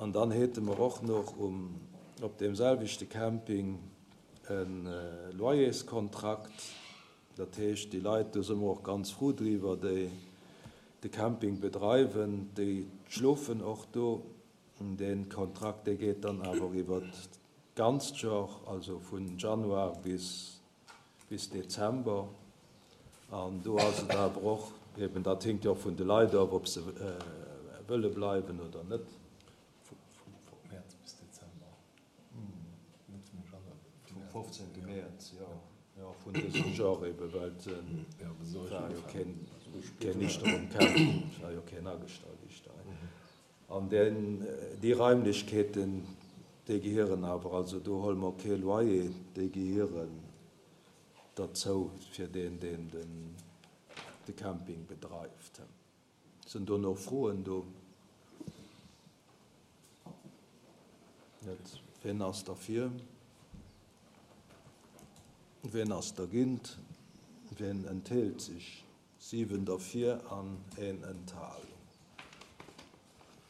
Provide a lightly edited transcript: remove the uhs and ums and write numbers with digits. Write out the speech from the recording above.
An dann hate mer och nach um, op deem selwechte Camping e Loyerskontrakt. Dat heescht, déi Leit, do si mer och ganz frou driwwer, déi de Camping bedreiwen, déi schlofen och do. Dee Kontrakt, dee geet dann awer iwwer d'ganzt Jor, also vu Januar bis bis Dezember. An do ass et awer och eben, dat hinkt jo och vun de Leit of, ob se wëlle bleiwen oder net. Vu Mäerz bis Dezember, net vum Januar. Vum 15. Mäerz, jo, jo, vun dësem Jor eben, well et war jo keen, keen Dichter um Camping, et war jo keen agestallt Dichter. An deen, déi Raimlechkeeten, déi gehieren awer, also do huele mer kee Loyer, déi gehieren derzou fir deen, deen den, de Camping bedreift. Sinn do nach Froen do? Net. Wien ass derfir? Wien ass dergint? Wien enthält sech? 7 derfir an een enthalen.